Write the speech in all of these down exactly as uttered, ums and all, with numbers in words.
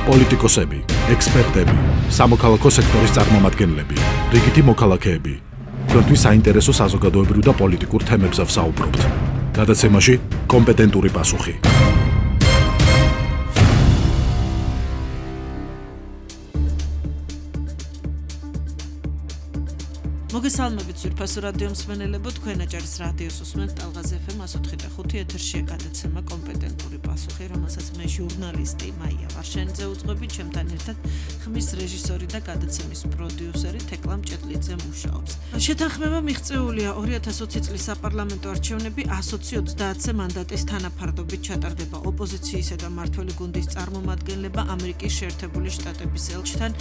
პოლიტიკოსები, ექსპერტები, სამოქალაქო სექტორის წარმომადგენლები, რიგითი მოქალაქეები. Თქვენთვის საინტერესო საზოგადოებრივ და პოლიტიკურ თემებზე ვსაუბრობთ. გადაცემაში კომპეტენტური პასუხი. მოგესალმებით ძვირფასო რადიო მსმენელებო, თქვენ აჭარის რადიოს უსმენთ ტალღაზ ეფ ემ ათოთხი და ხუთი ეთერშია გადაცემა კომპეტენტური პასუხი, რომელსაც მე ჟურნალისტი მაია ვარშენიძე უძღვები, ჩემთან ერთად ხმის რეჟისორი და გადაცემის პროდიუსერი თეკლა მჭედლიძე მუშაობს. შეთანხმება მიღწეულია ორი ათას ოცი წლის საპარლამენტო არჩევნები ასოცი ოცდაათზე მანდატის თანაფარდობით ჩატარდება ოპოზიციისა და მმართველი გუნდის წარმომადგენლება ამერიკის შეერთებული შტატების ელჩთან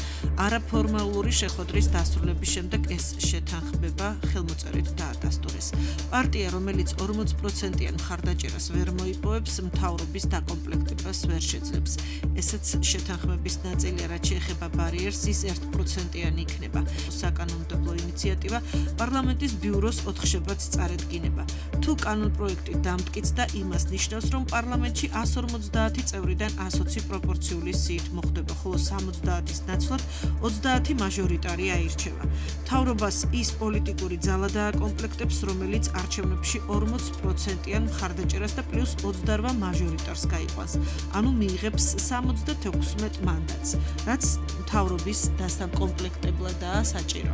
არაფორმალური შეხვედრის დასრულების შემდეგ ეს შეთანხმება ხელმოწერით დაადასტურეს. პარტია, რომელიც ორმოც პროცენტიან მხარდაჭერას ვერ მოიპოვებს, მთავრობის დაკომპლექტებას ვერ შეძლებს. ესეც შეთანხმების ნაწილია, რაც შეეხება ბარიერს, ის ერთ პროცენტიანი იქნება. საკანონმდებლო ინიციატივა პარლამენტის ბიუროს ოთხშაბათს წარედგინება. თუ კანონპროექტი დამტკიცდა, იმას ნიშნავს, რომ პარლამენტში ას ორმოცდაათი წევრიდან ას ოცი პროპორციული სიით მოხდება, ხოლო სამოცდაათის ნაცვლად ოცდაათი მაჟორიტარი აირჩევა. მთავრობას ის პოლიტიკური ძალა დააკომპლექტებს, რომელიც არჩევნებში ორმოც პროცენტიან მხარდაჭერას და პლუს ოცდაოთხ მაჟორიტარს გაიყვანს, ანუ მიიღებს სამოცდათექვსმეტ მანდატს, რაც მთავრობის დასაკომპლექტებლადაა საჭირო.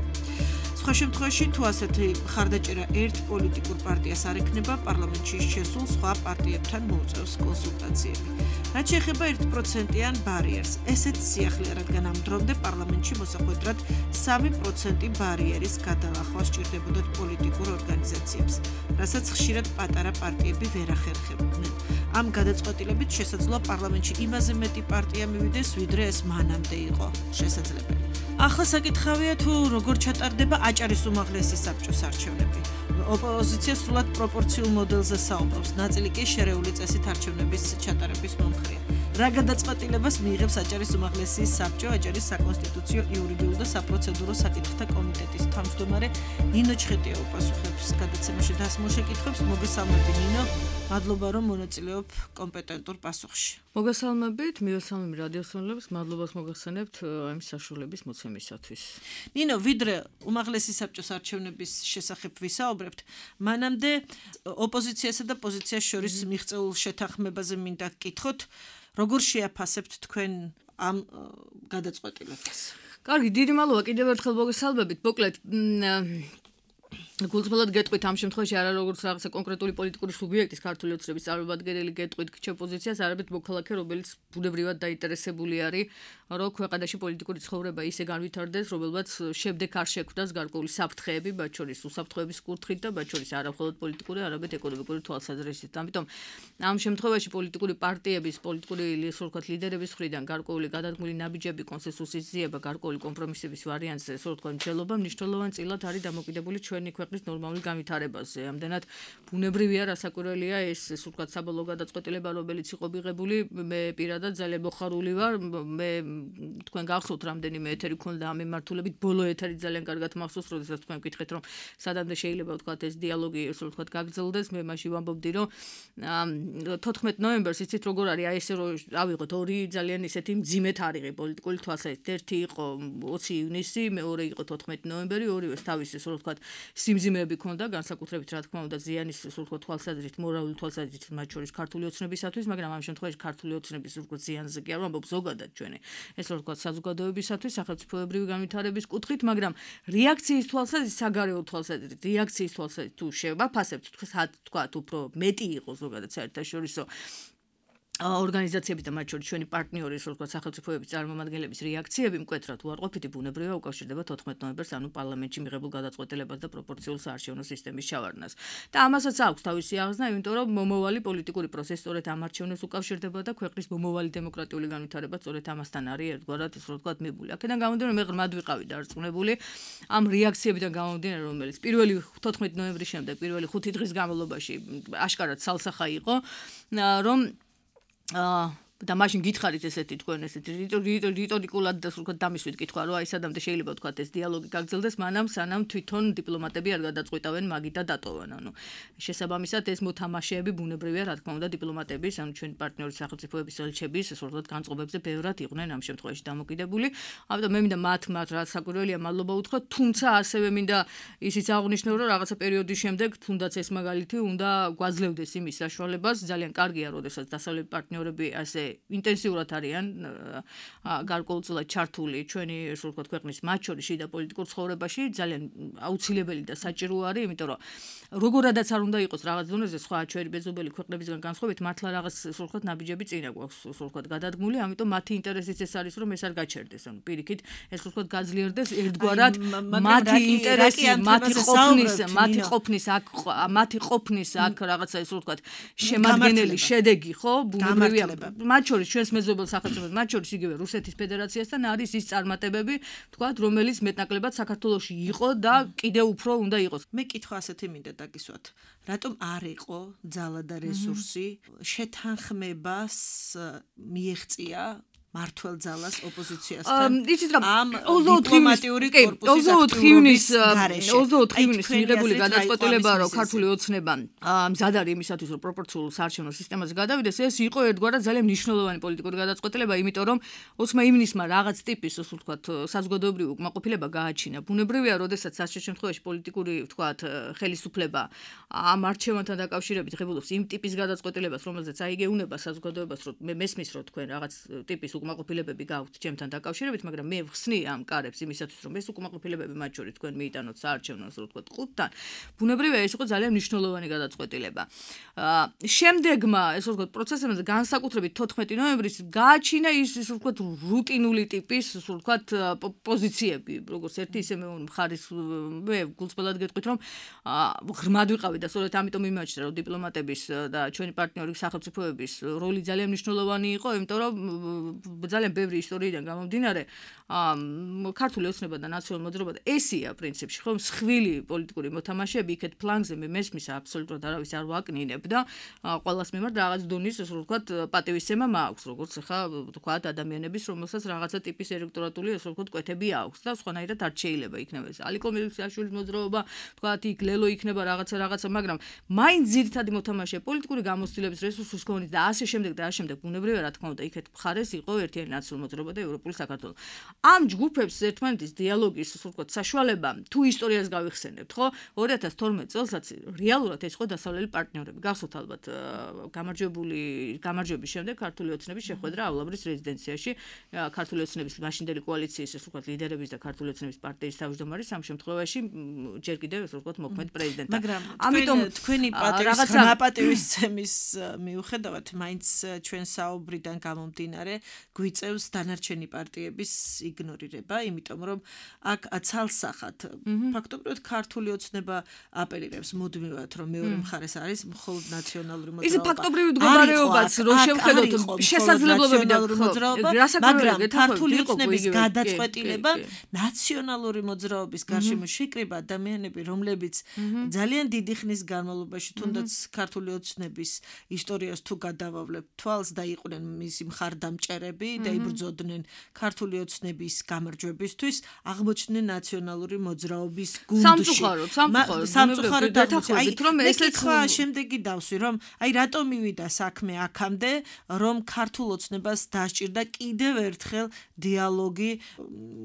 სხვა შემთხვევაში, თუ ასეთი მხარდაჭერა ერთ პოლიტიკურ პარტიას არ ექნება, პარლამენტში შესულ სხვა პარტიებთან მოუწევს კონსულტაციები. რაც შეეხება ერთ პროცენტიან ბარიერს, ესეც სიახლეა, რადგან ამ დრომდე პარლამენტში მოსახვედრად სამი პროცენტი ბარიერის გადალახვა სჭირდებოდათ პოლიტიკურ ორგანიზაციებს, რასაც ხშირად პატარა პარტიები ვერ ახერხებდნენ. ამ გადაწყვეტილებით შესაძლოა პარლამენტში იმაზე მეტი პარტია მივიდეს, ვიდრე ეს მანამდე იყო შესაძლებელი. ახლა საკითხავია, თუ როგორ ჩატარდება აჭარის უმაღლესი საბჭოს არჩევნები. ოპოზიცია სრულად პროპორციულ მოდელზე საუბრობს, ნაწილი კი შერეული წესით არჩევნების ჩატარების მომხრეა. რა გადაწყვეტილებას მიიღებს აჭარის უმაღლესი საბჭო? აჭარის საკონსტიტუციო, იურიდიულ და საპროცედურო საკითხთა კომიტეტის თავმჯდომარე ნინო ჩხეტია უპასუხებს გადაცემაში დასმულ შეკითხვებს. მოგესალმები ნინო, მადლობა რომ მონაწილეობ კომპეტენტურ პასუხში. მოგესალმებით, მივესალმები რადიოსმენელებს, მადლობას მოგახსენებთ ამ საშუალების მოცემისათვის. ნინო, ვიდრე უმაღლესი საბჭოს არჩევნების შესახებ ვისაუბრებთ, მანამდე ოპოზიციასა და პოზიციას შორის მიღწეულ შეთანხმებაზე მინდა გკითხოთ, როგორ შეაფასებთ თქვენ ამ გადაწყვეტილებას? კარგი, დიდი მადლობა კიდევ ერთხელ მოგესალმებით. მოკლედ, გულწრფელად გეტყვით ამ შემთხვევაში არა როგორც რაღაცა კონკრეტული პოლიტიკური სუბიექტის ქართული ოცნების წარმომადგენელი გეტყვით ჩემპოზიციას, არამედ მოქალაქე, რომელიც ბუნებრივად დაინტერესებული არის, რომ ქვეყანაში პოლიტიკური ცხოვრება ისე განვითარდეს, რომელმაც შემდეგ არ შექმნას გარკვეული საფრთხეები, მათ შორის უსაფრთხოების კუთხით და მათ შორის არა მხოლოდ პოლიტიკური, არამედ ეკონომიკური თვალსაზრისით. ამიტომ ამ შემთხვევაში პოლიტიკური პარტიების, პოლიტიკური ისე ვთქვათ ლიდერების მხრიდან გარკვეული გადადგმული ნაბიჯები, კონსენსუსის ძიება, გარკვეული კომპრომისების ვარიანტზე, ესე ვთქვათ, მშელობა მნიშვნელოვან წილად არის დამოკიდებული ჩვენი ქვეყნის ნორმალური განვითარებაზე. ამდენად ბუნებრივია, რასაკვირველია ეს, ესე ვთქვათ, საბოლოო გადაწყვეტილება, რომელიც იყო მიღებული, მე პირადად ძალიან მოხარული ვარ. მე თქვენ გახსოვთ, რამდენიმე ეთერი ქონდა ამ მიმართულებით, ბოლო ეთერი ძალიან კარგად მახსოვს, როდესაც თქვენ გკითხეთ, რომ სადამდე შეიძლება ვთქვათ ეს დიალოგი, ესე ვთქვათ, გაგრძელდეს. მე მაშინ ვამბობდი, რომ თოთხმეტ ნოემბერს იცით როგორ არის, აი ესე რომ ავიღოთ ორი ძალიან ისეთი მძიმე თარიღი პოლიტიკური თვალსაზრისით. ერთი იყო ოცი ივნისი, მეორე იყო თოთხმეტი ნოემბერი, ორივეს თავისი, ესე ვთქვათ, სიმძიმეები ქონდა, განსაკუთრებით რა თქმა უნდა ზიანის, ესე ვთქვათ, თვალსაზრისით, მორალური თვალსაზრისით, მათ შორის ქართული ოცნებისათვის, მაგრამ ამ შემთხვევაში ქართული ოცნების, ესე ვთქვათ, ზიანზე კი არ ვამბობ, ზოგადად ჩვენი, ესე ვთქვათ, საზოგადოებისათვის, სახელმწიფოებრივი განვითარების კუთხით, მაგრამ რეაქციის თვალსაზრისით, საგარეო თვალსაზრისით, რეაქციის თვალსაზრისით თუ შევაფასებთ, თქვათ, უფრო მეტი იყო ზოგადად საერთაშორისო ორგანიზაციების და მათ შორის ჩვენი პარტნიორი, ასე ვთქვათ, სახელმწიფოების წარმომადგენლების რეაქციები მკვეთრად უარყოფითი ბუნებრივია უკავშირდება თოთხმეტ ნოემბერს, ანუ პარლამენტში მიღებულ გადაწყვეტილებას და პროპორციულ საარჩევნო სისტემის ჩავარდნას. და ამასაც აქვს თავისი აღზრდა, იმიტომ რომ მომავალი პოლიტიკური პროცესი სწორედ ამ არჩევნებს უკავშირდება და ქვეყნის მომავალი დემოკრატიული განვითარება სწორედ ამასთან არის ერთგვარად, ასე ვთქვათ, მიბული. აქედან გამომდინარე, მე ღრმად ვიყავი დარწმუნებული ამ რეაქციებიდან გამომდინარე, რომელიც პირველი თოთხმეტი ნოემბრის შემდეგ, პირველი ხუთი დღის განმავლობაში აშკარად სალსახა იყო, რომ და მაშინ გითხარით ესეთი თქვენ ესეთი რიტორიკულად და სულ დამისვით კითხვა რომ აი სადამდე შეიძლება თქვა ეს დიალოგი გაგრძელდეს მანამ სანამ თვითონ დიპლომატები არ გადაწყვიტავენ მაგით და დატოვან ანუ შესაბამისად ეს მოთამაშეები ბუნებრივია რა თქმა უნდა დიპლომატების ანუ ჩვენი პარტნიორი სახელმწიფოების ელჩების სულოდ განწყობებზე ბევრად იყვნენ ამ შემთხვევაში დამოკიდებული ამიტომ მე მინდა მათ მათ რა საკვირველია მადლობა უთხრა თუმცა ასევე მინდა ისიც აღნიშნო რომ რაღაცა პერიოდის შემდეგ თუნდაც ეს მაგალითი უნდა გვაძლევდეს იმის საშუალებას ძალიან კარგია როდესაც დასავლეთ პარტნიორები ასე ინტენსიურად არიან გარკვეულწილად ჩართული ჩვენი ისე ვთქვათ ქვეყნის მათ შორის შიდა პოლიტიკურ ცხოვრებაში ძალიან აუცილებელი და საჭირო არის იმიტომ რომ როგორადაც არ უნდა იყოს რაღაც დონეზე სხვა ჩვენი ბეზობელი ქვეყნებისგან განსხვავებით მართლა რაღაც ისე ვთქვათ ნაბიჯები წინა გვაქვს ისე ვთქვათ გადადგმული ამიტომ მათი ინტერესიც ეს არის რომ ეს არ გაჩერდეს ანუ პირიქით ეს ვთქვათ გაძლიერდეს ერთგვარად მათი ინტერესი მათი ყოფნის მათი ყოფნის აქ მათი ყოფნის აქ რაღაცა ისე ვთქვათ შემადგენელი შედეგი ხო ბუნებრივია მათ შორის ჩვენს მეზობელ სახელმწიფოებს მათ შორის იგივე რუსეთის ფედერაციასთან არის ის წარმატებები ვთქვათ რომელიც მეტნაკლებად საქართველოში იყო და კიდევ უფრო უნდა იყოს მე კითხვა ასეთი მინდა დაგისვათ რატომ არ იყო ძალა და რესურსი შეთანხმებას მიეღწია მართლ ძალას ოპოზიციასთან იცით რა ამ დიპლომატიური კორპუსის ოცდაოთხ ივნის ოცდაოთხ ივნის მიღებული გადაწყვეტილება რომ ქართული ოცნება მზად არის იმისათვის რომ პროპორციულ საარჩევნო სისტემაზე გადავიდეს ეს იყო ერთგვარად ძალიან მნიშვნელოვანი პოლიტიკური გადაწყვეტილება იმიტომ რომ ოცმა ივნისმა რაღაც ტიპის ასე ვთქვათ საზოგადოებრივი უკმაყოფილება გააჩინა ბუნებრივია როდესაც ასეთ შემთხვევაში პოლიტიკური ვთქვათ ხელისუფლება ამ არჩევანთან დაკავშირებით ღებულობს იმ ტიპის გადაწყვეტილებას რომელზეც აიგეუნება საზოგადოებას რომ მე მესმის რომ თქვენ რაღაც ტიპის უკმაყოფილებები გაქვთ ჩემთან დაკავშირებით, მაგრამ მე ვხსნი ამ კარებს იმისათვის, რომ ეს უკმაყოფილებები მათ შორის თქვენ მიიტანოთ საარჩევნო, ასე ვთქვათ, ყუთთან. ბუნებრივია ეს იყო ძალიან მნიშვნელოვანი გადაწყვეტილება. შემდეგმა, ესე ვთქვათ, პროცესებზე განსაკუთრებით თოთხმეტი ნოემბრის გააჩინა ის, ესე ვთქვათ, რუტინული ტიპის, ასე ვთქვათ, პოზიციები, როგორც ერთი ისე მე მხარის მე გულწრფელად გეტყვით, რომ ღრმად ვიყავი და სწორედ ამიტომ იმაჩნდა, რომ დიპლომატების და ჩვენი პარტნიორი სახელმწიფოების როლი ძალიან მნიშვნელოვანი იყო, იმიტომ რომ ძალიან ბევრი ისტორიიდან გამომდინარე ქართული ოცნება და ნაციონალური მოძრაობა ესია პრინციპში ხო მსხვილი პოლიტიკური მოთამაშეები იქეთ ფლანგზე მე მესმის აბსოლუტურად არავის არ ვაკნინებდა ყველას მიმართ რაღაც დონის ასე ვთქვათ პატივისცემა მაქვს როგორც ახლა ვთქვათ ადამიანების რომელსაც რაღაცა ტიპის ელექტორატული ასე ვთქვათ კვეთები აქვს და სხვანაირად არ შეიძლება იქნება ეს ალიკო მილიქაშვილის მოძრაობა ვთქვათ იქ ლელო იქნება რაღაცა რაღაცა მაგრამ მაინც ძირითადი მოთამაშე პოლიტიკური გამოცდილების რესურსის ქონით და ასე შემდეგ და ასე შემდეგ ბუნებრივია რა თქმა უნდა იქეთ მხარეს იყო ერთიანი ნაციონალური მოძრაობა და ევროპული საქართველო. ამ ჯგუფებს ერთმანეთის დიალოგის ასე ვთქვათ საშუალება თუ ისტორიას გავიხსენებთ, ხო? ორი ათას თორმეტ წელსაც რეალურად ეს იყო დასავლელი პარტნიორები. გახსოვთ ალბათ გამარჯვებული გამარჯვების შემდეგ ქართული ოცნების შეხვედრა ავლაბრის რეზიდენციაში ქართული ოცნების მაშინდელი კოალიციის ასე ვთქვათ ლიდერების და ქართული ოცნების პარტიის თავმჯდომარის ამ შემთხვევაში ჯერ კიდევ ასე ვთქვათ მოქმედ პრეზიდენტად. ამიტომ თქვენი პატევის ხმაპატევისცემის მიუხედავად მაინც ჩვენ საუბრიდან გამომდინარე გვიწევს დანარჩენი პარტიების იგნორირება, იმიტომ რომ აქ ცალსახად ფაქტობრივად ქართული ოცნება აპელირებს მუდმივად რომ მეორე მხარეს არის მხოლოდ ნაციონალური მოძრაობა. ის ფაქტობრივი მდგომარეობაც რომ შევხედოთ შესაძლებლობები და მოძრაობა, მაგრამ ქართული ოცნების გადაწყვეტილება ნაციონალური მოძრაობის გარშემო შეკრება ადამიანები, რომლებიც ძალიან დიდი ხნის განმავლობაში თუნდაც ქართული ოცნების ისტორიას თუ გადავავლებ თვალს და იყვნენ მისი მხარდამჭერები და იბრძოდნენ ქართული ოცნების გამარჯვებისთვის აღმოჩნდნენ ნაციონალური მოძრაობის გუნდში. სამწუხაროდ, სამწუხაროდ, სამწუხაროდ დათანხმებით, რომ ესეც ხო შემდეგი დავსვი, რომ აი რატომ მივიდა საქმე აქამდე, რომ ქართულ ოცნებას დასჭირდა კიდევ ერთხელ დიალოგი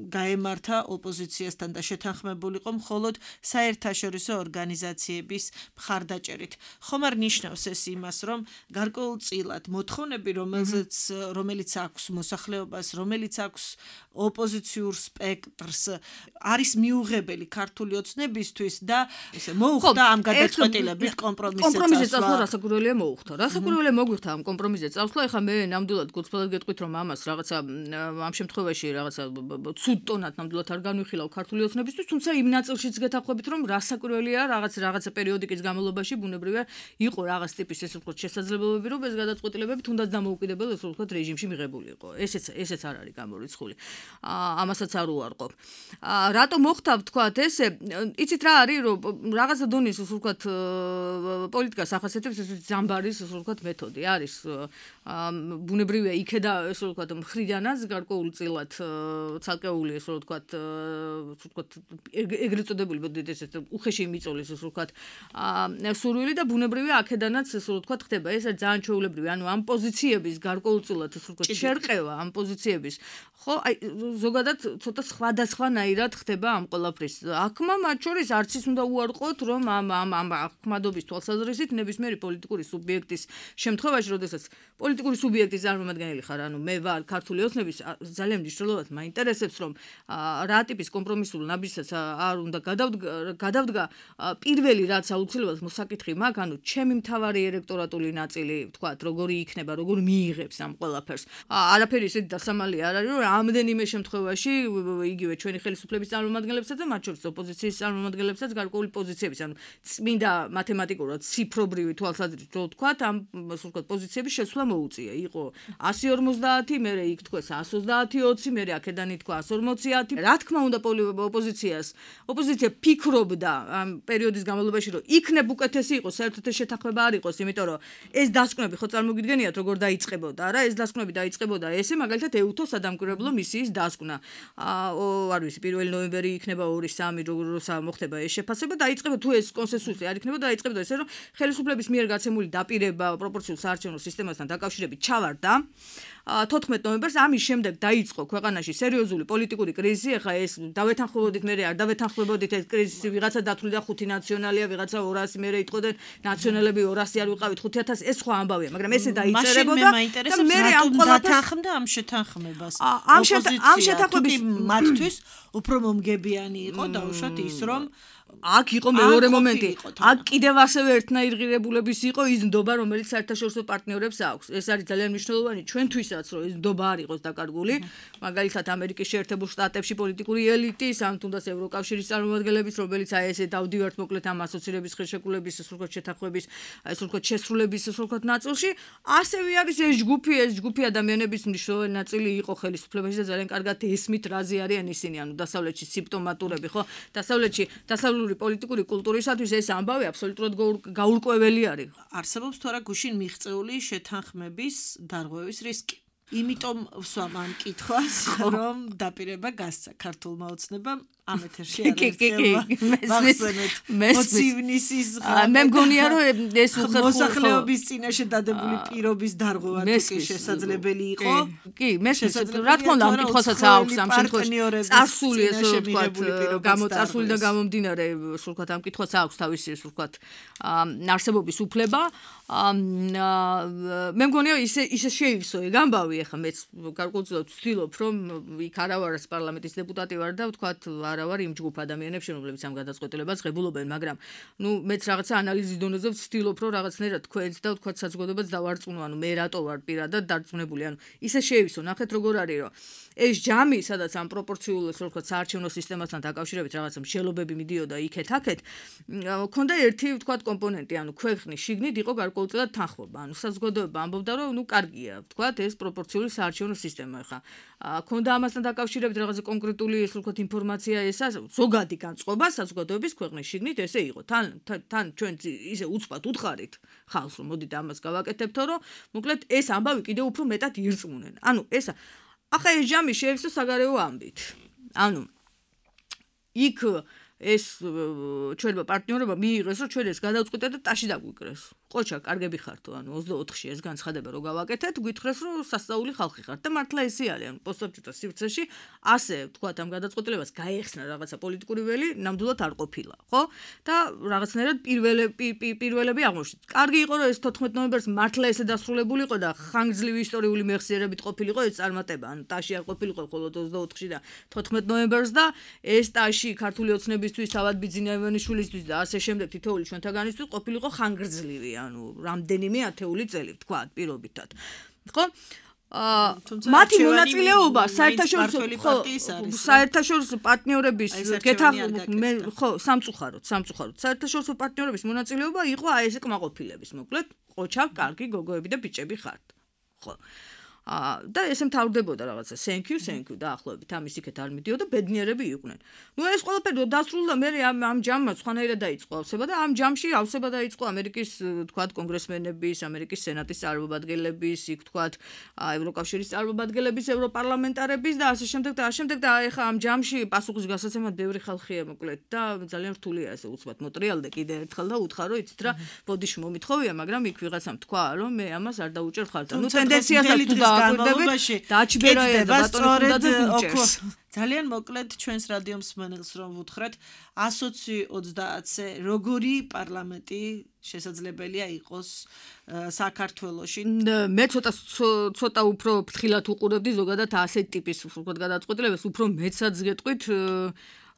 გაემართა ოპოზიციასთან და შეთანხმებულიყო მხოლოდ საერთაშორისო ორგანიზაციების მხარდაჭერით. ხომ არ ნიშნავს ეს იმას, რომ გარკვეულწილად მოთხოვნები, რომელზეც რომელიც აქვს მოსახლეობას, რომელიც აქვს ოპოზიციურ სპექტრს, არის მიუღებელი ქართული ოცნებისთვის და ესე მოუხდა ამ გადაწყვეტილებით კომპრომისზე წასვლა. კომპრომისზე წასვლა რასაკვირველია მოუხდა. რასაკვირველია მოგვიხდა ამ კომპრომისზე წასვლა. ეხლა მე ნამდვილად გულწრფელად გეტყვით, რომ ამას რაღაცა ამ შემთხვევაში რაღაცა ცუდ ტონად ნამდვილად არ განვიხილავ ქართული ოცნებისთვის, თუმცა იმ ნაწილშიც გეთანხმებით, რომ რასაკვირველია რაღაც რაღაცა პერიოდიკის განმავლობაში ბუნებრივია იყო რაღაც ტიპის ესე ვთქვათ შესაძლებლობები, რომ ეს გადაწყვეტილებები თუნდაც დამოუკიდებელ ესე ვთქვათ რეჟიმში მიღებული იყო. ესეც ესეც არ არის გამორიცხული. ამასაც არ უარყოფ. რატო მოხდა ვთქვათ ესე, იცით რა არის, რომ რაღაცა დონის ასე ვთქვათ პოლიტიკას ახასიათებს ეს ზამბარის ასე ვთქვათ მეთოდი. არის ბუნებრივია იქედა ესე ვთქვათ მხრიდანაც გარკვეულწილად ცალკეული ესე ვთქვათ ვთქვათ ეგრეთ წოდებული მოდით ესეთ უხეში მიწოლის ესე ვთქვათ სურვილი და ბუნებრივია აქედანაც ესე ვთქვათ ხდება ეს ძალიან ჩვეულებრივი ანუ ამ პოზიციების გარკვეულწილად ესე ვთქვათ შერყევა ამ პოზიციების ხო აი ზოგადად ცოტა სხვადასხვანაირად ხდება ამ ყველაფრის აქმა მათ შორის არც ის უნდა უარყოთ რომ ამ ამ ამ ახმადობის თვალსაზრისით ნებისმიერი პოლიტიკური სუბიექტის შემთხვევაში როდესაც პოლიტიკური სუბიექტის წარმომადგენელი ხარ ანუ მე ვარ ქართული ოცნების ძალიან მნიშვნელოვნად მაინტერესებს რომ რა ტიპის კომპრომისულ ნაბიჯსაც არ უნდა გადავდგა პირველი რაც აუცილებლად მოსაკითხი მაქვს ანუ ჩემი მთავარი ელექტორატული ნაწილი ვთქვათ როგორი იქნება როგორ მიიღებს ამ ყველაფერს არაფერი ისეთი დასამალი არ არის რომ ამდენიმე შემთხვევაში იგივე ჩვენი ხელისუფლების წარმომადგენლებსაც და მათ შორის ოპოზიციის წარმომადგენლებსაც გარკვეული პოზიციების ანუ წმინდა მათემატიკურად ციფრობრივი თვალსაზრისით რო ვთქვათ ამ ასე ვთქვათ პოზიციების შესვლა მოუწია იყო ასი ორმოცდაათი მერე იქ თქვეს ასი ოცდაათი ოცი მერე აქედან ითქვა ასი ორმოცდაათი რა თქმა უნდა ოპოზიციას ოპოზიცია ფიქრობდა ამ პერიოდის განმავლობაში რომ იქნებ უკეთესი იყოს საერთოდ ეს შეთანხმება არ იყოს იმიტომ რომ ეს დასკვნები ხო წარმოგიდგენიათ როგორ დაიწყებოდა რა ეს დასკვნები დაიწყებოდა ესე მაგალითად ეუთო სადამკვირვებლო მისიის დასკვნა არ ვიცი პირველი ნოემბერი იქნება ორი სამი როცა მოხდება ეს შეფასება დაიწყება თუ ეს კონსენსუსი არ იქნება დაიწყებოდა ესე რომ ხელისუფლების მიერ გაცემული დაპირება პროპორციულ საარჩევნო სისტემასთან დაკავშირებით ჩავარდა თოთხმეტ ნოემბერს ამის შემდეგ დაიწყო ქვეყანაში სერიოზული პოლიტიკური კრიზისი ეხა ეს დავეთანხმებოდით მე არ დავეთანხმებოდით ეს კრიზისი ვიღაცა დათვლიდა ხუთი ნაციონალია ვიღაცა ორასი მერე იტყოდნენ ნაციონალები ორასი არ ვიყავით ხუთი ათასი ეს სხვა ამბავია მაგრამ ესე დაიწერებოდა და მე ამ ყველაფერს ამ შეთანხმებას ამ შეთანხმების მათთვის უფრო მომგებიანი იყო დაუშვათ ის რომ აქ იყო მეორე მომენტი. აქ კიდევ ასევე ერთნაირი ღირებულების იყო ის ნდობა, რომელიც საერთაშორისო პარტნიორებს აქვს. ეს არის ძალიან მნიშვნელოვანი ჩვენთვისაც, რომ ეს ნდობა არ იყოს დაკარგული. მაგალითად, ამერიკის შეერთებულ შტატებში პოლიტიკური ელიტის, ამ თუნდაც ევროკავშირის წარმომადგენლების, რომელიც აი ესე დავდივართ მოკლედ ამ ასოცირების ხელშეკრულების სრულყოფ შეთანხმების, აი სრულყოფ შესრულების სრულყოფ ნაწილში, ასევე არის ეს ჯგუფი, ეს ჯგუფი ადამიანების მნიშვნელოვანი ნაწილი იყო ხელისუფლებაში და ძალიან კარგად ესმით რაზე არიან ისინი, ანუ დასავლეთში სიმპტომატურები, ხო? დასავლეთში, დასავლური პოლიტიკური კულტურისათვის ეს ამბავი აბსოლუტურად გაურკვეველი არის. არსებობს თუ არა გუშინ მიღწეული შეთანხმების დარღვევის რისკი. იმიტომ ვსვამ ამ კითხვას, რომ დაპირება გასცა ქართულმა ოცნებამ ამ ეთერში მოცივნისის მე მგონია რომ ეს მოსახლეობის წინაშე დადებული პირობის დარღვევა თუ შესაძლებელი იყო. კი, მესმის რა თქმა უნდა ამ კითხვასაც აქვს ამ შემთხვევაში წარსული ესე ვთქვათ გამოწარსული და გამომდინარე სულ ვთქვათ ამ კითხვას აქვს თავისი სულ ვთქვათ არსებობის უფლება. მე მგონია ისე ისე შეივსო ეგ ამბავი ახლა მეც გარკვეულწილად ვცდილობ რომ იქ არა ვარ პარლამენტის დეპუტატი ვარ და ვთქვათ არა ვარ იმ ჯგუფ ადამიანებს რომლებიც ამ გადაწყვეტილებას ღებულობენ მაგრამ ნუ მეც რაღაცა ანალიზის დონეზე ვცდილობ რომ რაღაცნაირად თქვენს და ვთქვათ საზოგადოებას დავარწმუნო ანუ მე რატო ვარ პირადად დარწმუნებული ანუ ისე შეივსო ნახეთ როგორ არის რომ ეს ჯამი სადაც ამ პროპორციულ ესე ვთქვათ საარჩევნო სისტემასთან დაკავშირებით რაღაცა მსჯელობები მიდიოდა იქეთ-აქეთ ქონდა ერთი ვთქვათ კომპონენტი ანუ ქვეყნის შიგნით იყო გარკვეულწილად თანხმობა ანუ საზოგადოება ამბობდა რომ ნუ კარგია ვთქვათ ეს პროპორციული საარჩევნო სისტემა ხა ქონდა ამასთან დაკავშირებით რაღაცა კონკრეტული ესე ვთქვათ ინფორმაცია ესა ზოგადი განწყობა საზოგადოების ქვეყნის შიგნით ესე იყო თან თან ჩვენ ისე უცბად უთხარით ხალხს რომ მოდით ამას გავაკეთებთო რომ მოკლედ ეს ამბავი კიდევ უფრო მეტად ირწმუნენ ანუ ესა ახლა ეს ჯამი შეივსო საგარეო ამბით ანუ იქ ეს ჩვენმა პარტნიორებმა მიიღეს რომ ჩვენ ეს გადავწყვიტეთ და ტაში დაგვიკრეს ყოჩა კარგები ხართო ანუ ოცდაოთხში ეს განცხადება რომ გავაკეთეთ გვითხრეს რომ სასწაული ხალხი ხართ და მართლა ესე არის ანუ პოსტსაბჭოთა სივრცეში ასე ვთქვათ ამ გადაწყვეტილებას გაეხსნა რაღაცა პოლიტიკური ველი ნამდვილად არ ყოფილა ხო და რაღაცნაირად პირველები პირველები აღმოჩნდა კარგი იყო რომ ეს თოთხმეტ ნოემბერს მართლა ესე დასრულებულიყო და ხანგრძლივი ისტორიული მეხსიერებით ყოფილიყო ეს წარმატება ანუ ტაში არ ყოფილიყო მხოლოდ ოცდაოთხში და თოთხმეტ ნოემბერს და ეს ტაში ქართული ოცნებისთვის თავად ბიძინა ივანიშვილისთვის და ასე შემდეგ თითოეული ჩვენთაგანისთვის ყოფილიყო ხანგრძლივი ანუ რამდენიმე ათეული წელი ვთქვათ პირობითად ხო მათი მონაწილეობა საერთაშორისო საერთაშორისო პარტნიორების გეთანხმება ხო სამწუხაროდ სამწუხაროდ საერთაშორისო პარტნიორების მონაწილეობა იყო აი ესე კმაყოფილების მოკლედ ყოჩა კარგი გოგოები და ბიჭები ხართ ხო და ესე მთავრდებოდა რაღაცა thank you thank you დაახლოებით ამის იქეთ არ მიდიოდა ბედნიერები იყვნენ. ნუ ეს ყველაფერი დასრულდა მე ამ ამ ჯამმა სხვანაირად დაიწყო ავსება და ამ ჯამში ავსება დაიწყო ამერიკის თქვათ კონგრესმენების, ამერიკის სენატის წარმომადგენლების, იქ თქვათ ევროკავშირის წარმომადგენლების, ევროპარლამენტარების და ასე შემდეგ და ასე შემდეგ და ეხა ამ ჯამში პასუხის გასაცემად ბევრი ხალხია მოკლედ და ძალიან რთულია ესე უცბად მოტრიალდე კიდე ერთხელ და უთხარო იცით რა ბოდიში მომითხოვია მაგრამ იქ ვიღაცამ თქვა რომ მე ამას არ დაუჭერ ხალხს. ნუ ტენდენციასაც თუ დააკვირდები დააჩბერაია და ბატონი უძდადეს ძალიან მოკლედ ჩვენს რადიო მსმენელს რომ ვუთხრათ one twenty-ზე როგორი პარლამენტი შესაძლებელია იყოს საქართველოში. მე ცოტა ცოტა უფრო ფრთხილად უყურებდი ზოგადად ასეთ ტიპის უბრალოდ გადაწყვეტილებას უფრო მეცაც გეტყვით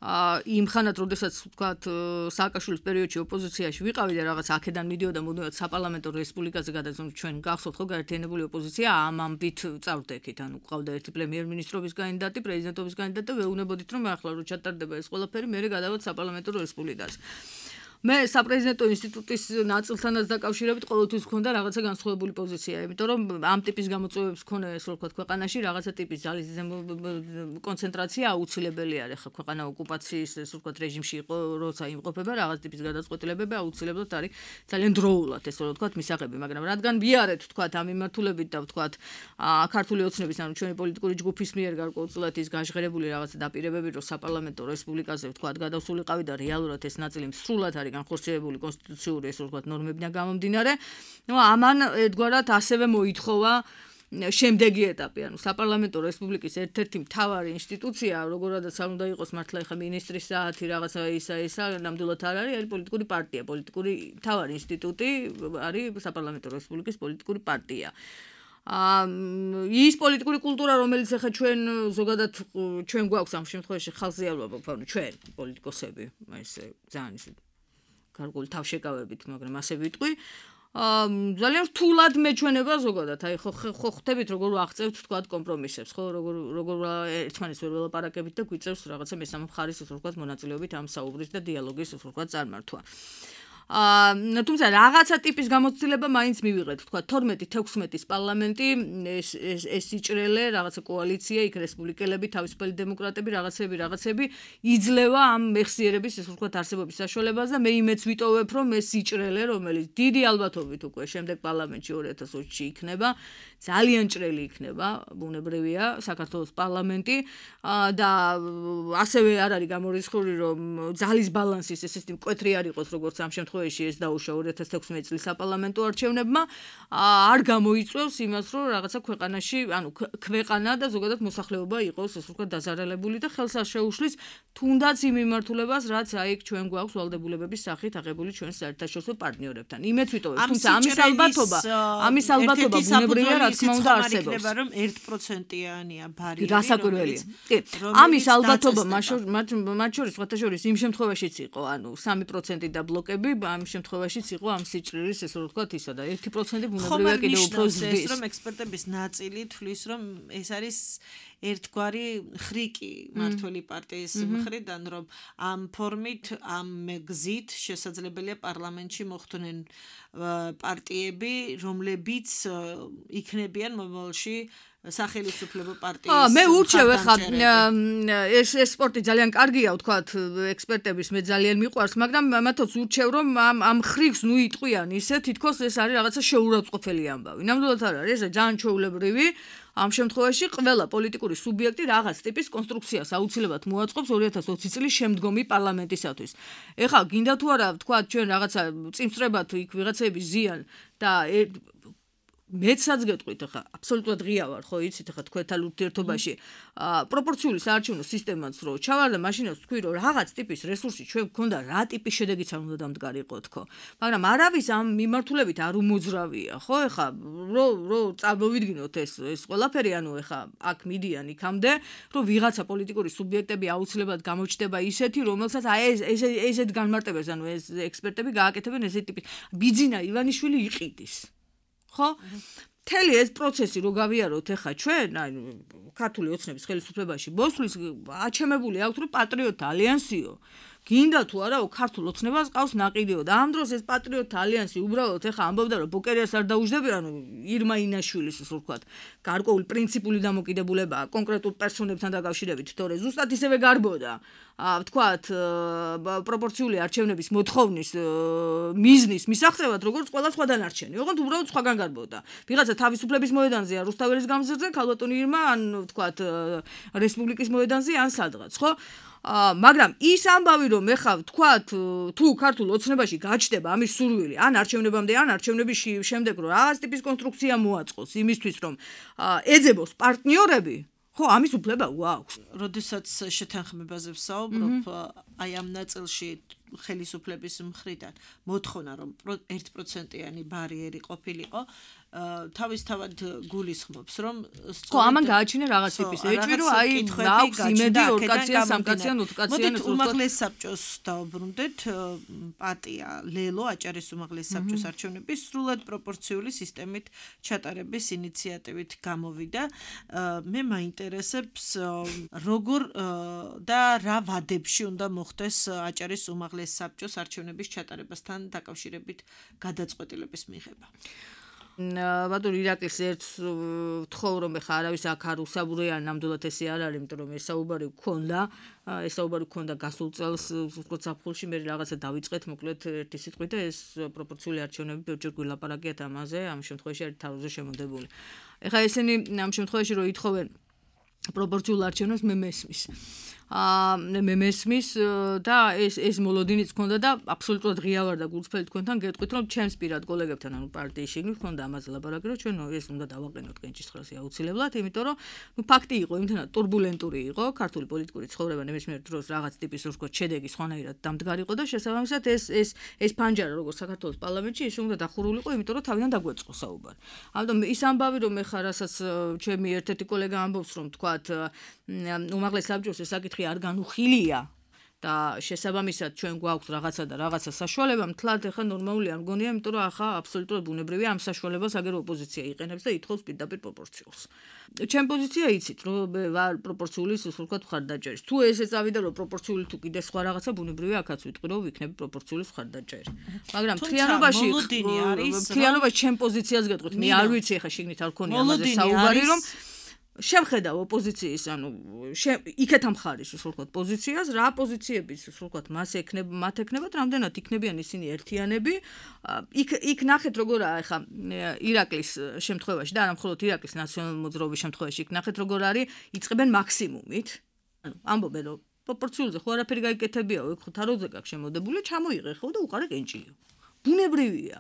იმ ხანად, როდესაც ვთქვათ, სააკაშვილის პერიოდში ოპოზიციაში ვიყავი და რაღაც აქედან მიდიოდა მუდმივად საპარლამენტო რესპუბლიკაზე გადაცემ ჩვენ გახსოვთ ხო გაერთიანებული ოპოზიცია ამ ამბით წავდექით, ანუ ყავდა ერთი პრემიერ-მინისტრობის კანდიდატი, პრეზიდენტობის კანდიდატი და ვეუბნებოდით რომ ახლა რო ჩატარდება ეს ყველაფერი, მე გადავალ საპარლამენტო რესპუბლიკაზე. მე საპრეზიდენტო ინსტიტუტის ნაწილთანაც დაკავშირებით ყოველთვის მქონდა რაღაცა განსხვავებული პოზიცია, იმიტომ რომ ამ ტიპის გამოწვევებს მქონდა ეს რო ვთქვათ ქვეყანაში რაღაცა ტიპის ძალის კონცენტრაცია აუცილებელი არის. ხა ქვეყანა ოკუპაციის ეს ვთქვათ რეჟიმში იყო, როცა იმყოფება რაღაც ტიპის გადაწყვეტილებები აუცილებლად არის ძალიან დროულად ეს რო ვთქვათ მისაღები, მაგრამ რადგან ვიარეთ ვთქვათ ამ მიმართულებით და ვთქვათ ქართული ოცნების ანუ ჩვენი პოლიტიკური ჯგუფის მიერ გარკვეულწილად ის გაჟღერებული რაღაცა დაპირებები რომ საპარლამენტო რესპუბლიკაზე ვთქვათ გადასულიყავი და რეალურად ეს ნაწილი სრულად არის განხორციელებული კონსტიტუციური ეს ვთქვათ ნორმებიდან გამომდინარე. ნუ ამან ერთგვარად ასევე მოითხოვა შემდეგი ეტაპი, ანუ საპარლამენტო რესპუბლიკის ერთ-ერთი მთავარი ინსტიტუცია, როგორადაც არ უნდა იყოს მართლა ეხა მინისტრის საათი რაღაცა ისა ისა, ნამდვილად არ არის, არის პოლიტიკური პარტია, პოლიტიკური მთავარი ინსტიტუტი არის საპარლამენტო რესპუბლიკის პოლიტიკური პარტია. ის პოლიტიკური კულტურა, რომელიც ახლა ჩვენ ზოგადად ჩვენ გვაქვს ამ შემთხვევაში ხალხზიალობა, ანუ ჩვენ პოლიტიკოსები, ესე ძალიან ისე გარკვეული თავშეკავებით, მაგრამ ასე ვიტყვი. ძალიან რთულად მეჩვენება ზოგადად. აი ხო ხო ხვდებით როგორ აღწევთ თქვათ კომპრომისებს, ხო როგორ როგორ ერთმანეთს ვერ ველაპარაკებით და გვიწევს რაღაცა მესამე მხარის ასე ვთქვათ მონაწილეობით ამ საუბრის და დიალოგის ასე ვთქვათ წარმართვა. აა თუმცა რაღაცა ტიპის გამოცდილება მაინც მივიღეთ, თქვა თორმეტი თექვსმეტის პარლამენტი, ეს ეს ეს იჭრელე, რაღაცა კოალიცია, იქ რესპუბლიკელები, თავისუფალი დემოკრატები, რაღაცები, რაღაცები იძლევა ამ მეხსიერების ეს ვთქვათ არსებობის საშუალებას და მე იმეც ვიტოვებ, რომ ეს იჭრელე, რომელიც დიდი ალბათობით უკვე შემდეგ პარლამენტში ორი ათას ოცი იქნება, ძალიან ჭრელი იქნება, ბუნებრივია, საქართველოს პარლამენტი და ასევე არ არის გამორიცხული, რომ ძალის ბალანსის ესეთი მკვეთრი არ იყოს, როგორც ამ შემთხვევაში ეს დაუშვა ორი ათას თექვსმეტი წლის საპარლამენტო არჩევნებმა, არ გამოიწვევს იმას, რომ რაღაცა ქვეყანაში, ანუ ქვეყანა და ზოგადად მოსახლეობა იყოს, ასე ვთქვათ, დაზარალებული და ხელს არ შეუშლის თუნდაც იმ მიმართულებას, რაც აი ჩვენ გვაქვს ვალდებულებების სახით აღებული ჩვენს საერთაშორისო პარტნიორებთან. იმეც ვიტოვებ, თუმცა ამის ალბათობა, ამის ალბათობა ბუნებრივია, რა თქმა უნდა არსებობს. რომ one percent-იანია ბარიერი, რომელიც ამის ალბათობა მათ შორის სხვათა შორის იმ შემთხვევაშიც იყო, ანუ სამი პროცენტი და ბლოკები ამ შემთხვევაშიც იყო ამ სიჭრილის ესე რომ ვთქვათ ისა და ერთი პროცენტი ბუნებრივია კიდევ უფრო ზრდის. რომ ექსპერტების ნაწილი თვლის რომ ეს არის ერთგვარი ხრიკი მართველი პარტიის მხრიდან რომ ამ ფორმით ამ გზით შესაძლებელია პარლამენტში მოხვდნენ პარტიები რომლებიც იქნებიან მომავალში სახელმწიფო პარტიის. მე ურჩევ ხა ეს ეს სპორტი ძალიან კარგია ვთქვათ ექსპერტების მე ძალიან მიყვარს, მაგრამ მათაც ურჩევ რომ ამ ამ ხრიგს ნუ იტყვიან ისე თითქოს ეს არის რაღაცა შეურაცხყოფელი ამბავი. ნამდვილად არ არის, ეს ძალიან ჩვეულებრივი. ამ შემთხვევაში ყველა პოლიტიკური სუბიექტი რაღაც ტიპის კონსტრუქციას აუცილებლად მოაწყობს ორი ათას ოცი წლის შემდგომი პარლამენტისათვის. ეხლა გინდა თუ არა ვთქვათ ჩვენ რაღაცა წინსწრებად იქ ვიღაცები ზიან და მეცაც გეტყვით ახლა აბსოლუტურად ღია ვარ ხო იცით ახლა თქვენთან ურთიერთობაში პროპორციული საარჩევნო სისტემაც რო ჩავარ და მაშინაც თქვი რომ რაღაც ტიპის რესურსი ჩვენ გქონდა რა ტიპის შედეგიც არ უნდა დამდგარიყო თქო მაგრამ არავის ამ მიმართულებით არ უმოძრავია ხო ახლა რო რო წარმოვიდგინოთ ეს ეს ყველაფერი ანუ ახლა აქ მიდიან იქამდე რომ ვიღაცა პოლიტიკური სუბიექტები აუცილებლად გამოჩნდება ისეთი რომელსაც აი ეს ესეთ განმარტებას ანუ ეს ექსპერტები გააკეთებენ ესეთ ტიპის ბიძინა ივანიშვილი იყიდის ხო? მთელი ეს პროცესი რო გავიაროთ ახლა ჩვენ, აი ქართული ოცნების ხელისუფლებაში მოსვლის აჩემებული აქვს რომ პატრიოტთა ალიანსიო. გინდა თუ არაო ქართულ ოცნებას ყავს ნაყიდიო და ამ დროს ეს პატრიოტთა ალიანსი უბრალოდ ეხა ამბობდა რომ ბოკერიას არ დაუждები, ანუ ირმა ინაშვილის ისე ვთქვათ, გარკვეული პრინციპული დამოკიდებულებაა კონკრეტულ პერსონებთან დაკავშირებით, თორე ზუსტად ისევე გარბოდა ვთქვათ, პროპორციული არჩევნების მოთხოვნის მიზნის მისაღწევად, როგორც ყველა სხვა დანარჩენი. ოღონდ უბრალოდ სხვაგან გარბოდა. ვიღაცა თავისუფლების მოედანზეა რუსთაველის გამზირზე, ქალბატონი ირმა ან ვთქვათ, რესპუბლიკის მოედანზე ან სადღაც, ხო? მაგრამ ის ამბავი რომ ეხა ვთქვათ, თუ ქართულ ოცნებაში გაჩნდება ამის სურვილი, ან არჩევნებამდე, ან არჩევნების შემდეგ რომ რაღაც ტიპის კონსტრუქცია მოაწყოს იმისთვის, რომ ეძებოს პარტნიორები, ხო, ამის უფლება გვაქვს. როდესაც შეთანხმებაზე ვსაუბრობ, აი ამ ნაწილში ხელისუფლების მხრიდან მოთხოვნა რომ ერთ პროცენტიანი ბარიერი ყოფილიყო, თავისთავად გულისხმობს, რომ ხო, ამან გააჩინა რაღაც ტიპის ეჭვი, რომ აი აქვს იმედი ორკაციან, სამკაციან, ութკაციან მოდით უმაღლეს საბჭოს დავბრუნდეთ, პარტია ლელო აჭარის უმაღლეს საბჭოს არჩევნების სრულად პროპორციული სისტემით ჩატარების ინიციატივით გამოვიდა. მე მაინტერესებს როგორ და რა ვადებში უნდა მოხდეს აჭარის უმაღლეს საბჭოს არჩევნების ჩატარებასთან დაკავშირებით გადაწყვეტილების მიღება. ბატონო ირაკლის ერთ ვთხოვ რომ ეხა არავის აქ არ უსაბურია ნამდვილად ესე არ არის, იმიტომ რომ ეს საუბარი გქონდა, ეს საუბარი გქონდა გასულ წელს უბრალოდ საფხულში მე რაღაცა დავიწყეთ, მოკლედ ერთი სიტყვით და ეს პროპორციული არჩევნები ბევრჯერ გვილაპარაკიათ ამაზე, ამ შემთხვევაში არის თავზე შემოდებული. ეხა ესენი ამ შემთხვევაში რომ ითხოვენ პროპორციულ არჩევნებს მე მესმის. აა მე მესმის და ეს ეს მოლოდინიც ქონდა და აბსოლუტურად ღია ვარ და გულწრფელი თქვენთან გეტყვით რომ ჩემს პირად კოლეგებთან ანუ პარტიის შიგნით ქონდა ამაზე ლაპარაკი რომ ჩვენ ეს უნდა დავაყენოთ კენჭისყრასი აუცილებლად, იმიტომ რომ ნუ ფაქტი იყო იმთანაც турბულენტური იყო ქართული პოლიტიკური ცხოვრება ნებისმიერ დროს რაღაც ტიპის ვთქვათ შედეგი სხვანაირად დამდგარიყო და შესაბამისად ეს ეს ეს ფანჯარა როგორც საქართველოს პარლამენტში ის უნდა დახურულიყო, იმიტომ რომ თავიდან დაგვეწყო საუბარი. ამიტომ ის ამბავი რომ ეხა რასაც ჩემი ერთ-ერთი კოლეგა ამბობს რომ ვთქვათ უმაღლეს საბჭოს ეს საკითხი არ განუხილია და შესაბამისად ჩვენ გვაქვს რაღაცა და რაღაცა საშუალება, მთლად ეხა ნორმალური არ მგონია, იმიტომ რომ ახლა აბსოლუტურად ბუნებრივია ამ საშუალებას აგერ ოპოზიცია იყენებს და ითხოვს პირდაპირ პროპორციულს. ჩემ პოზიცია იცით, რომ ვარ პროპორციული სულკად მხარდაჭერის. თუ ესე წავიდა რომ პროპორციული თუ კიდე სხვა რაღაცა ბუნებრივია, აქაც ვიტყვი რომ ვიქნები პროპორციული მხარდაჭერი. მაგრამ მთლიანობაში მთლიანობაში ჩემ პოზიციას გეტყვით, მე არ ვიცი ეხა შიგნით არ ქონია ამაზე საუბარი რომ შემხედავ ოპოზიციის, ანუ იქეთ ამხარის ვთქვათ პოზიციას, რა პოზიციების ვთქვათ მას ეკნებ, მათ ეკნებათ, რამდენად იქნებიან ისინი ერთიანები. იქ იქ ნახეთ როგორაა ახლა ირაკლის შემთხვევაში და არა მხოლოდ ირაკლის ნაციონალურ მოძრაობის შემთხვევაში, იქ ნახეთ როგორ არის იწყებენ მაქსიმუმით. ანუ ამბობენ რომ პროპორციულზე ხო არაფერი გაიკეთებიაო, იქ ხო თაროზე გაქვს შემოდებული, ჩამოიღე ხო და უყარე კენჭიო. ბუნებრივია.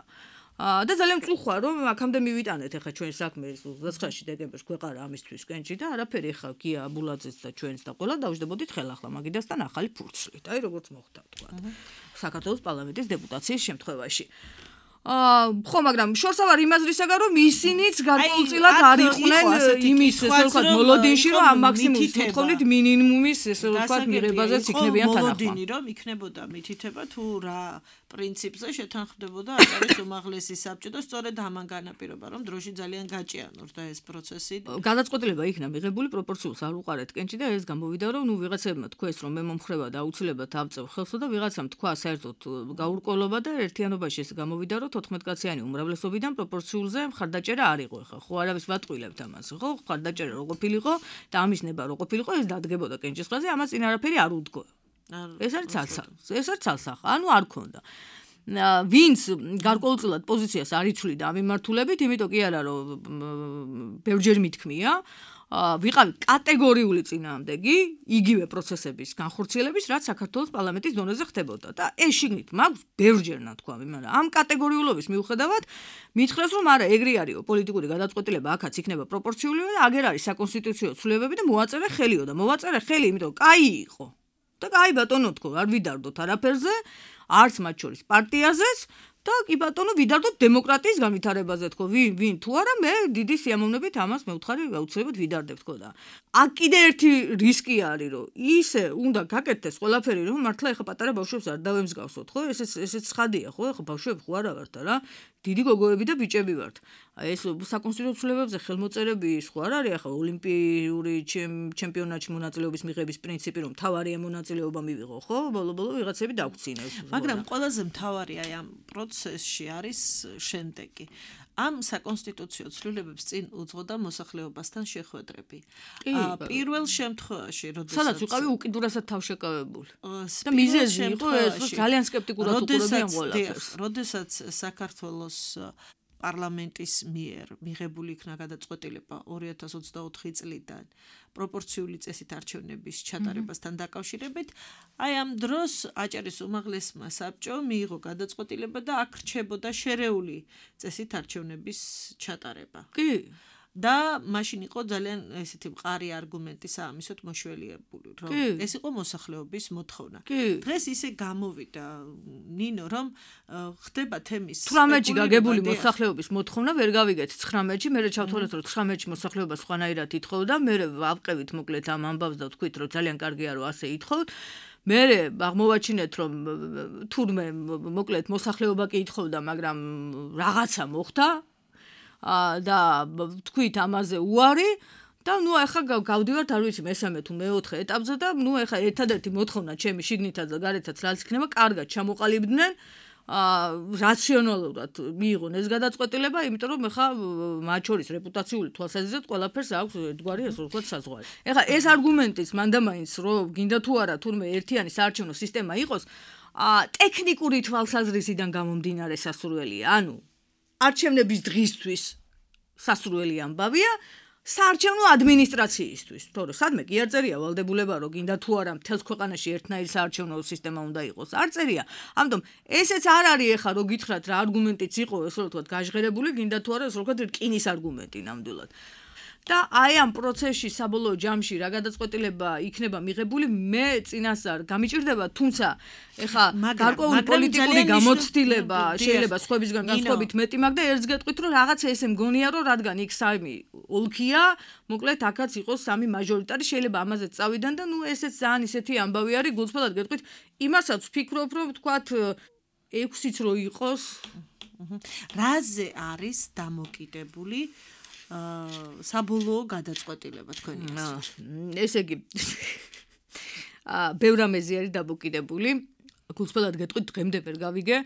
და ძალიან მწუხვა რომ აქამდე მივიტანეთ ახლა ჩვენ საქმეს ოცდაათში დეკემბერს გვეყარა ამისთვის კენჭი და არაფერი ახლა გია აბულაძეც და ჩვენც და ყველა დავждებოდით ხელახლა მაგიდასთან ახალი ფურცლით. აი როგორც მოხდა თქვა. საქართველოს პარლამენტის დეპუტაციის შემთხვევაში. აა ხო, მაგრამ შორსა ვარ იმაზრისაგან რომ ისინიც გარკვეულწილად არ იყვნენ იმის ესე ვთქვათ მოლოდინში რომ ამ მაქსიმუმის მოთხოვნით მინიმუმის ესე ვთქვათ მიღებაზეც იქნებიან თანახმა. მოლოდინი რომ იქნებოდა მითითება თუ რა პრინციპზე შეთანხმდებოდა აჭარის უმაღლესი საბჭო და სწორედ ამან განაპირობა რომ დროში ძალიან გაჭიანურდა ეს პროცესი. გადაწყვეტილება იქნა მიღებული პროპორციულს არ უყარეთ კენჭი და ეს გამოვიდა რომ ნუ ვიღაცებმა თქვეს რომ მე მომხრება და აუცილებლად ავწევ ხელსო და ვიღაცამ თქვა საერთოდ გაურკვევლობა და ერთიანობაში ეს გამოვიდა რომ თოთხმეტკაციანი უმრავლესობიდან პროპორციულზე მხარდაჭერა არ იყო ხა. ხო არავის ვატყვილებთ ამას, ხო? მხარდაჭერა რო ყოფილიყო და ამის ნება რო ყოფილიყო, ეს დადგებოდა კენჭისყრაზე, ამას წინ არაფერი არ უდგო. ეს არის ცალსახ. ეს არის ცალსახ. ანუ არ ქონდა. ვინც გარკვეულწილად პოზიციას არ იცვლიდა ამ მიმართულებით, იმიტომ კი არა რომ ბევრჯერ მithქმია, ვიყავით კატეგორიული წინააღმდეგი იგივე პროცესების განხორციელების, რაც საქართველოს პარლამენტის დონეზე ხდებოდა და ეს შიგნით მაქვს ბევრჯერ ნათქვამი, მაგრამ ამ კატეგორიულობის მიუხედავად მითხრეს რომ არა, ეგრე არისო პოლიტიკური გადაწყვეტილება აქაც იქნება პროპორციული და აგერ არის საკონსტიტუციო ცვლილებები და მოაწერე ხელიო და მოვაწერე ხელი, იმიტომ კაი იყო. და კაი ბატონო თქო, არ ვიდარდოთ არაფერზე, არც მათ შორის პარტიაზეც და კი ბატონო ვიდარდოთ დემოკრატიის განვითარებაზე თქო, ვინ ვინ თუ არა მე დიდი სიამოვნებით ამას მეუთხარი აუცილებლად ვიდარდებ თქო და აქ კიდე ერთი რისკი არის რომ ისე უნდა გაკეთდეს ყველაფერი რომ მართლა ეხა პატარა ბავშვებს არ დავემსგავსოთ ხო, ესეც ესეც ხადია ხო, ეხა ბავშვები ხო არა ვართ რა, დიდი გოგოები და ბიჭები ვართ. ეს საკონსტიტუციო ცვლილებებზე ხელმოწერები სხვა არ არის, ახლა ოლიმპიური ჩემპიონატში მონაწილეობის მიღების პრინციპი, რომ თავარია მონაწილეობა მივიღო, ხო? ბოლო-ბოლო ვიღაცები დაგვცინეს. მაგრამ ყველაზე მთავარი აი ამ პროცესში არის შემდეგი. ამ საკონსტიტუციო ცვლილებებს წინ უძღოდა მოსახლეობასთან შეხვედრები. პირველ შემთხვევაში, როდესაც სადაც ვიყავი უკიდურესად თავშეკავებული. და მიზეზი იყო ეს, რომ ძალიან სკეპტიკურად უყურებიან ყველაფერს. როდესაც საქართველოს პარლამენტის მიერ მიღებული იქნა გადაწყვეტილება ორი ათას ოცდაოთხი წლიდან პროპორციული წესით არჩევნების ჩატარებასთან დაკავშირებით, აი ამ დროს აჭარის უმაღლესმა საბჭომ მიიღო გადაწყვეტილება და აქ რჩებოდა შერეული წესით არჩევნების ჩატარება. კი. და მაშინ იყო ძალიან ესეთი მყარი არგუმენტი საამისოდ მოშველიებული, რომ ეს იყო მოსახლეობის მოთხოვნა. დღეს ისე გამოვიდა ნინო, რომ ხდება თემის ცხრამეტში გაგებული მოსახლეობის მოთხოვნა ვერ გავიგეთ ცხრამეტში, მე ჩავთვალეთ რომ ცხრამეტში მოსახლეობა სხვანაირად ითხოვდა, მე ვავყევით მოკლედ ამ ამბავს და ვთქვით რომ ძალიან კარგია რომ ასე ითხოვთ. მე აღმოვაჩინეთ რომ თურმე მოკლედ მოსახლეობა კი ითხოვდა, მაგრამ რაღაცა მოხდა. და თქვით ამაზე უარი და ნუ ახლა გავდივართ არ ვიცი მესამე თუ მეოთხე ეტაპზე და ნუ ახლა ერთადერთი მოთხოვნა ჩემი შიგნითაც და გარეთაც რაც იქნება კარგად ჩამოყალიბდნენ რაციონალურად მიიღონ ეს გადაწყვეტილება, იმიტომ რომ ახლა მათ შორის რეპუტაციული თვალსაზრისით ყველაფერს აქვს ერთგვარი ასე ვთქვათ საზღვარი. ახლა ეს არგუმენტიც მანდამაინც რომ გინდა თუ არა თურმე ერთიანი საარჩევნო სისტემა იყოს, ტექნიკური თვალსაზრისიდან გამომდინარე სასურველია, ანუ არჩევნების დღისთვის სასურველი ამბავია საარჩევნო ადმინისტრაციისთვის, თორე სადმე კი არ წერია ვალდებულება, რომ გინდა თუ არა მთელს ქვეყანაში ერთნაირი საარჩევნო სისტემა უნდა იყოს. არ წერია. ამიტომ ესეც არ არის ახლა რომ გითხრათ რა არგუმენტიც იყო, ესე რომ ვთქვათ, გაჟღერებული, გინდა თუ არა, ესე რომ ვთქვათ, რკინის არგუმენტი ნამდვილად. და აი ამ პროცესში საბოლოო ჯამში რა გადაწყვეტილება იქნება მიღებული, მე წინასწარ გამიჭირდება, თუმცა ეხა გარკვეული პოლიტიკური გამოცდილება შეიძლება სხვებისგან განსხვავებით მეტი მაქვს და ერთს გეტყვით რომ რაღაცა ესე მგონია რომ რადგან იქ სამი ოლქია, მოკლედ აქაც იყოს სამი მაჟორიტარი, შეიძლება ამაზეც წავიდან და ნუ ესეც ძალიან ისეთი ამბავი არის, გულწრფელად გეტყვით, იმასაც ვფიქრობ რომ ვთქვათ ექვსიც რო იყოს. რაზე არის დამოკიდებული საბოლოო გადაწყვეტილება თქვენი აზრით? ესე იგი აა ბევრ რამეზე არის დამოკიდებული. გულწრფელად გეტყვით, დღემდე ვერ გავიგე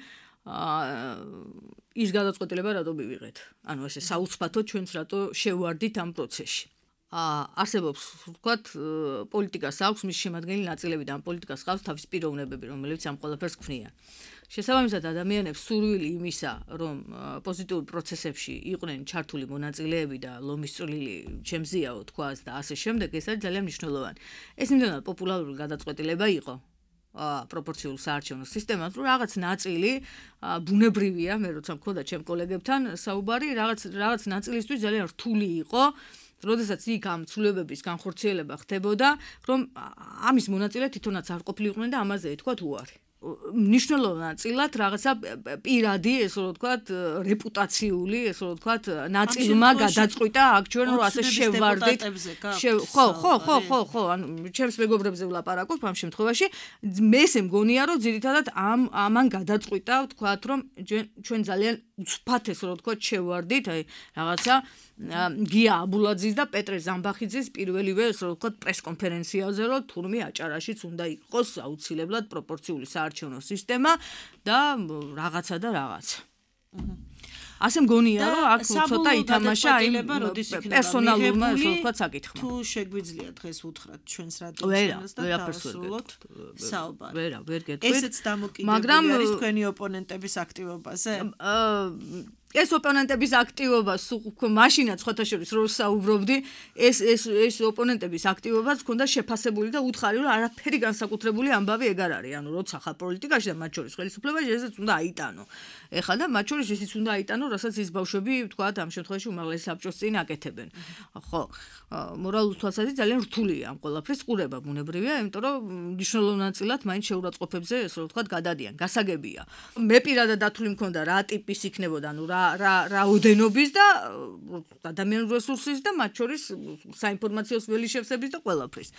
ის გადაწყვეტილება რატო მივიღეთ. ანუ ესე საუცბათო ჩვენც რატო შევვარდით ამ პროცესში. აა არსებობს, ვთქვათ, პოლიტიკას აქვს მის შემადგენელი ნაწილები და ამ პოლიტიკას ყავს თავის პიროვნებები, რომელიც ამ ყველაფერს ქმნიან. შესაბამისად ადამიანებს სურვილი იმისა, რომ პოზიტიურ პროცესებში იყვნენ ჩართული მონაწილეები და ლომის წვლილი ჩემზეაო თქვას და ასე შემდეგ, ეს არის ძალიან მნიშვნელოვანი. ეს იმდენად პოპულარული გადაწყვეტილება იყო პროპორციულ საარჩევნო სისტემას, რომ რაღაც ნაწილი ბუნებრივია, მე როცა მქონდა ჩემ კოლეგებთან საუბარი, რაღაც რაღაც ნაწილისთვის ძალიან რთული იყო. როდესაც იქ ამ ცვლილებების განხორციელება ხდებოდა, რომ ამის მონაწილე თვითონაც არ ყოფილიყვნენ და ამაზე ეთქვათ უარი. მნიშვნელოვნად რაღაცა პირადი, ესე რომ ვთქვათ, რეპუტაციული, ესე რომ ვთქვათ, ნაწილმა გადაწყვიტა აქ ჩვენ რომ ასე შევვარდით. ხო, ხო, ხო, ხო, ხო, ანუ ჩემს მეგობრებზე ვლაპარაკობ ამ შემთხვევაში, მე ესე მგონია რომ ძირითადად ამ ამან გადაწყვიტა, ვთქვათ, რომ ჩვენ ძალიან უცბად ესე რომ ვთქვათ, შევვარდით, აი რაღაცა გია აბულაძის და პეტრე ზამბახიძის პირველივე ესე რომ ვთქვათ, პრესკონფერენციაზე, რომ თურმე აჭარაშიც უნდა იყოს აუცილებლად პროპორციული საარჩევნო სისტემა და რაღაცა და რაღაცა. ასე მგონია რომ აქ ცოტა ითამაშა აი პერსონალურმა ესე ვთქვათ საკითხმა. თუ შეგვიძლია დღეს უთხრათ ჩვენს რადიოს და დავსრულოთ საუბარი. ვერა, ვერ გეტყვით. ესეც დამოკიდებული არის თქვენი ოპონენტების აქტივობაზე? ეს ოპონენტების აქტივობა მაშინაც ხოთაშორის რო საუბრობდი, ეს ეს ეს ოპონენტების აქტივობაც ჰქონდა შეფასებული და უთხარი რომ არაფერი განსაკუთრებული ამბავი ეგ არ არის. ანუ როცა ხარ პოლიტიკაში და მათ შორის ხელისუფლებაში, ესეც უნდა აიტანო. ეხლა და მათ შორის ისიც უნდა აიტანო, რასაც ის ბავშვები, ვთქვათ, ამ შემთხვევაში უმაღლეს საბჭოს წინ აკეთებენ. ხო, მორალურ თვალსაზრისით ძალიან რთულია ამ ყველაფრის ყურება, ბუნებრივია, იმიტომ რომ მნიშვნელოვნად მაინც შეურაცხყოფებზე, ესე რომ ვთქვათ, გადადიან. გასაგებია. მე პირადად დათვლი მქონდა რა ტიპის იქნებოდა, ანუ რა რა რაოდენობის და ადამიანურ რესურსის და მათ შორის საინფორმაციო ველი შევსების და ყველაფრის.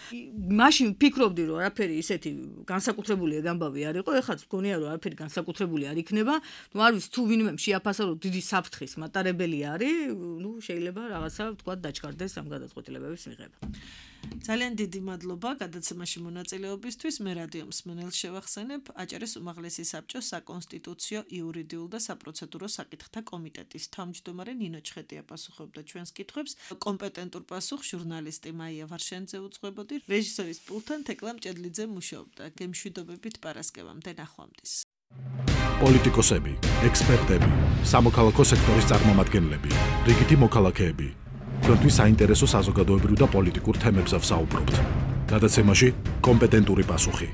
მაშინ ფიქრობდი რომ არაფერი ისეთი განსაკუთრებული გამბავი არ იყო, ეხლა მგონია რომ არაფერი განსაკუთრებული არ იქნება. ნუ არ ვიცი თუ ვინმე შეაფასა რომ დიდი საფრთხის მატარებელი არის, ნუ შეიძლება რაღაცა თქვა დაჩქარდეს ამ გადაწყვეტილებების მიღება. ძალიან დიდი მადლობა გადაცემაში მონაწილეობისთვის. მე რადიო მსმენელს შევახსენებ აჭარის უმაღლესი საბჭოს საკონსტიტუციო, იურიდიულ და საპროცედურო საკითხთა კომიტეტის თავმჯდომარე ნინო ჩხეტია პასუხობდა ჩვენს კითხვებს. კომპეტენტურ პასუხს ჟურნალისტი მაია ვარშენიძე უძღვებოდი. რეჟისორის პულტთან თეკლა მჭედლიძე მუშაობდა. გემშვიდობებით პარასკევამდე ნახვამდის. პოლიტიკოსები, ექსპერტები, სამოქალაქო სექტორის წარმომადგენლები, რიგითი მოქალაქეები. თქვენთვის საინტერესო საზოგადოებრივ და პოლიტიკურ თემებზე ვსაუბრობთ. გადაცემაში კომპეტენტური პასუხი.